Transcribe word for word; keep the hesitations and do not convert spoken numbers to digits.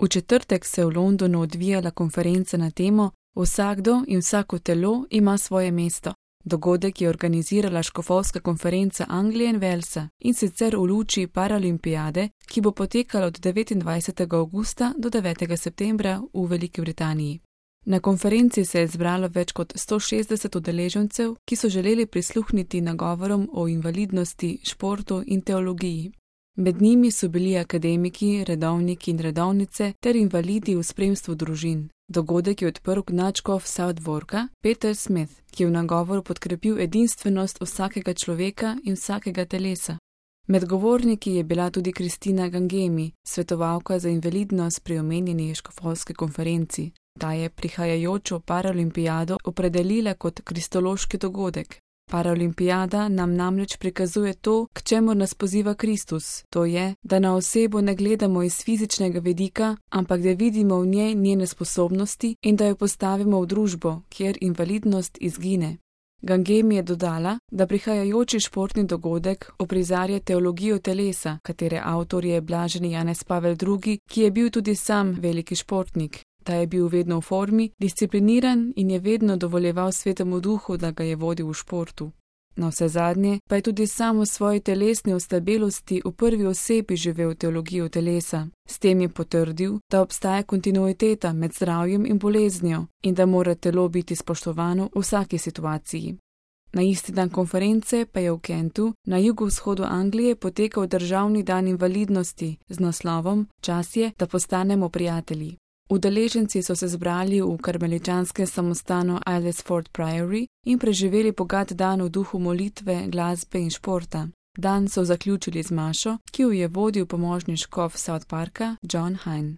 V četrtek se je v Londonu odvijala konferenca na temo Vsakdo in vsako telo ima svoje mesto. Dogodek je organizirala škofovska konferenca Anglije in Walesa, in sicer v luči Paralimpijade, ki bo potekala od devetindvajsetega avgusta do devetega septembra v Veliki Britaniji. Na konferenci se je zbralo več kot sto šestdeset udeležencev, ki so želeli prisluhniti nagovorom o invalidnosti, športu in teologiji. Med njimi so bili akademiki, redovniki in redovnice ter invalidi v spremstvu družin. Dogodek je odprl nadškof Southwarka Peter Smith, ki je v nagovoru podkrepil edinstvenost vsakega človeka in vsakega telesa. Med govorniki je bila tudi Kristina Gangemi, svetovalka za invalidnost pri omenjeni škofovski konferenci. Ta je prihajajočo Paralimpijado opredelila kot kristološki dogodek. Paralimpijada nam namreč prikazuje to, k čemur nas poziva Kristus, to je, da na osebo ne gledamo iz fizičnega vidika, ampak da vidimo v njej njene sposobnosti in da jo postavimo v družbo, kjer invalidnost izgine. Gangemi je dodala, da prihajajoči športni dogodek uprizarja teologijo telesa, katere avtor je blaženi Janez Pavel drugi, ki je bil tudi sam veliki športnik. Ta je bil vedno v formi, discipliniran in je vedno dovoljeval Svetemu Duhu, da ga je vodil v športu. Na vse zadnje pa je tudi sam v svoji telesni ostabelosti v prvi osebi živel teologijo telesa. S tem je potrdil, da obstaja kontinuiteta med zdravjem in boleznijo in da mora telo biti spoštovano v vsaki situaciji. Na isti dan konference pa je v Kentu, na jugovzhodu Anglije, potekal državni dan invalidnosti z naslovom Čas je, da postanemo prijatelji. Udeleženci so se zbrali v karmeličanskem samostanu Aylesford Priory in preživeli bogat dan v duhu molitve, glasbe in športa. Dan so zaključili z mašo, ki jo je vodil pomožni škof South Parka John Hine.